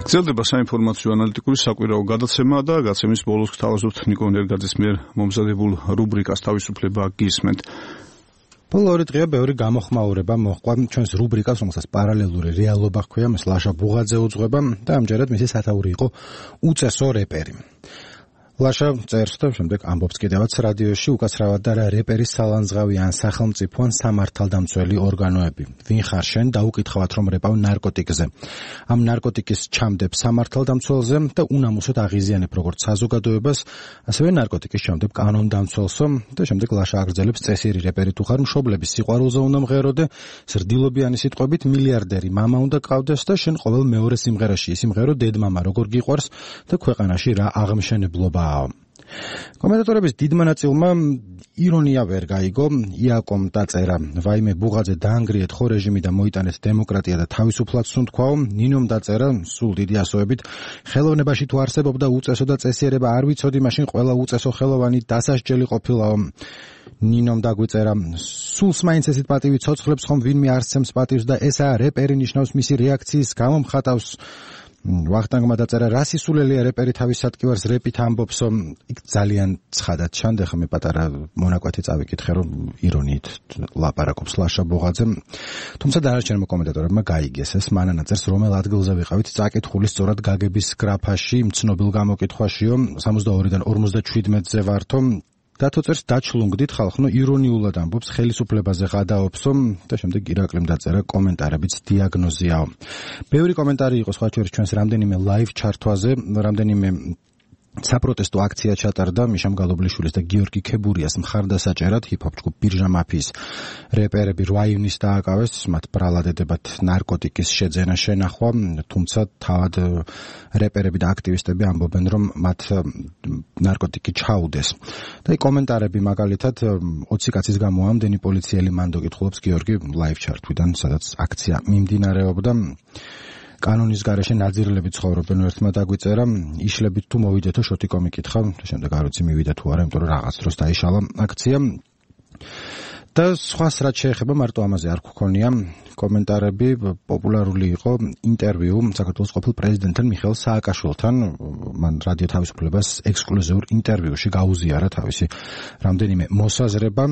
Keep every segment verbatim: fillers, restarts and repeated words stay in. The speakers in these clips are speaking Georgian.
გრძელდება საინფორმაციო ანალიტიკური საკვირაო გადაცემა და გაცემის ბოლოს გთავაზობთ ნიკო ნერგაძის მიერ მომზადებულ რუბრიკას თავისუფლება გისმენთ. ბოლო ორი დღეა ბევრი გამოხმაურება მოჰყვა ჩვენს რუბრიკას, რომელსაც პარალელური რეალობა ჰქვია, მას ლაშა ბუღაძე უძღვება და ამჯერად მისი სათაური იყო უწესო რეპერი. ლაშა წერს და შემდეგ ამბობს კიდევაც რადიოში უკაცრავად და რა რეპერის სალანძღავი ან სახელმწიფო ან სამართალდამცველი ორგანოები. ვინ ხარ შენ და უკითხავთ რომ რეპავ ნარკოტიკზე. ამ ნარკოტიკის ჩამდებ სამართალდამცველზე და უნამუსოდ აღიზიანებ როგორც საზოგადოებას, ასევე ნარკოტიკის ჩამდებ კანონდამცველსო და შემდეგ ლაშა აგრძელებს წესიერი რეპერი თუ ხარ მშობლების სიყვარულზე უნდა მღეროდე, ზრდილობიანი სიტყვებით მილიარდერი მამა უნდა ყავდეს და შენ ყოველ მეორე სიმღერაში ისიმღერო დედმამა როგორ გიყვარს და ქვეყანაში რა აღმშენებლობა. კომენტატორების დიდმა ნაწილმა ირონია ვერ გაიგო, იაკომ დაწერა, ვაიმე ბუღაძე დაანგრიეთ ხო რეჟიმი და მოიტანეთ დემოკრატია და თავისუფლად სუნთქვაო, ნინომ დაწერა, სულ დიდი ასოებით, ხელოვნებაში თუ არსებობდა უწესო და წესიერება არ ვიცოდი, მაშინ ყველა უწესო ხელოვანი დასასჯელი ყოფილაო. ნინომ დაგვიწერა, სულს მაინც ესეთ პატივი ცოცხლებს ხომ ვინმე არსცემს პატივს და ესაა რეპერი ნიშნავს მისი რეაქციის გამო მხატავს. ვახტანგმა დაწერა, რა სისულელია რეპერი თავის სატკივარს რეპით ამბობსო, იქ ძალიან ცხადად ჩანდა, ხა მე პატარა მონაკვეთი წავიკითხე, რომ ირონიით ლაპარაკობს ლაშა ბუღაძე. თუმცა დანარჩენმა კომენტატორებმა გაიგეს ეს, მანანა წერს, რომელ ადგილზე ვიყავით წაკითხული სწორად გაგების გრაფაში, ცნობილ გამოკითხვაშიო, სამოცდაორიდან ორმოცდაჩვიდმეტზე ვართო. დათო წერს, დაჩლუნგდით ხალხნო ირონიულად ამბობს, ხელისუფლებაზე ღადაობსო და შემდეგ ირაკლიმ დაწერა, კომენტარებიც დიაგნოზიაო. ბევრი კომენტარი იყო სხვა შორის ჩვენს რამდენიმე ლაივ ჩართვაზე, რამდენიმე საპროტესტო აქცია ჩატარდა მიშამ გალობლიშვილის და გიორგი ქებურიას მხარდასაჭერად, ჰიპ-ჰოპ ჯგუფ ბირჟა მაფიის რეპერები რვა ივნის დააკავეს, მათ ბრალად ედებათ ნარკოტიკის შეძენა შენახვა, თუმცა თავად რეპერები და აქტივისტები ამბობენ, რომ მათ ნარკოტიკი ჩაუდეს. და კომენტარები მაგალითად ოცი კაცის გამო ამდენი პოლიციელი მანდო კითხულობს გიორგი ლაივ ჩართვიდან, სადაც აქცია მიმდინარეობდა. კანონის გარეშე ნაძირლები ცხოვრობენ, ერთმა დაგვიწერა, იშლებით თუ მოვიდეთო შოთი კომი კითხა, შემდეგ არ ვიცი მივიდა თუ არა, იმიტომ რომ რაღაც დროს დაიშალა აქცია. და სხვას რაც შეეხება მარტო ამაზე არ გქონია კომენტარები, პოპულარული იყო ინტერვიუ საქართველოს ყოფილ პრეზიდენტთან მიხეილ სააკაშვილთან, მან რადიო თავისუფლებას ექსკლუზიურ ინტერვიუში გაუზიარა თავისი რამდენიმე მოსაზრება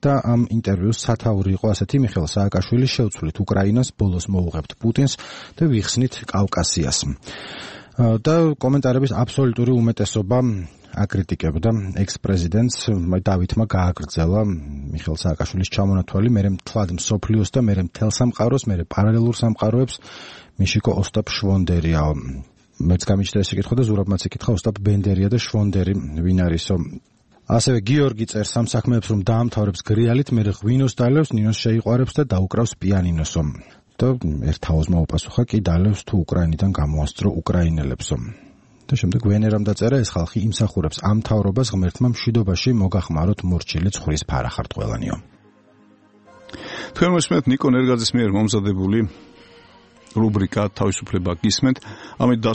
და ამ ინტერვიუს სათაური იყო ასეთი, მიხეილ სააკაშვილი შევცვლით უკრაინას, ბოლოს მოუღებთ პუტინს და ვიხსნით კავკასიას. და კომენტარების აბსოლუტური უმეტესობა აკრიტიკებდა ექს-პრეზიდენტს, დავითმა გააგრძელა მიხეილ სააკაშვილის ჩამონათვალი, მერე მთლად მსოფლიოს და მერე მთელ სამყაროს, მერე პარალელურ სამყაროებს მიშიკო ოსტაპ შვონდერიაო. მეც გამიჩნდა ეს კითხვა და ზურაბმაც ეკითხა, ოსტაპ ბენდერია და შვონდერი ვინ არისო. ასევე გიორგი წერს ამ საქმეებს, რომ დაამთავრებს გრიალით, მერე ღვინოს დალევს, ნინოს შეიყვარებს და დაუკრავს პიანინოსო. და ერთაოზ მოუპასუხა, კი დალევს თუ უკრაინიდან გამოასწრო უკრაინელებსო. და შემდეგ ვენერამ დაწერა, ეს ხალხი იმსახურებს ამ მთავრობას, ღმერთმა მშვიდობაში მოგახმაროთ მორჩილი ცხრის ფარახარტყველანიო. თქვენ მოსმენთ ნიკო ნერგაძის მიერ მომზადებული რუბრიკა თავისუფლება გისმენთ. ამით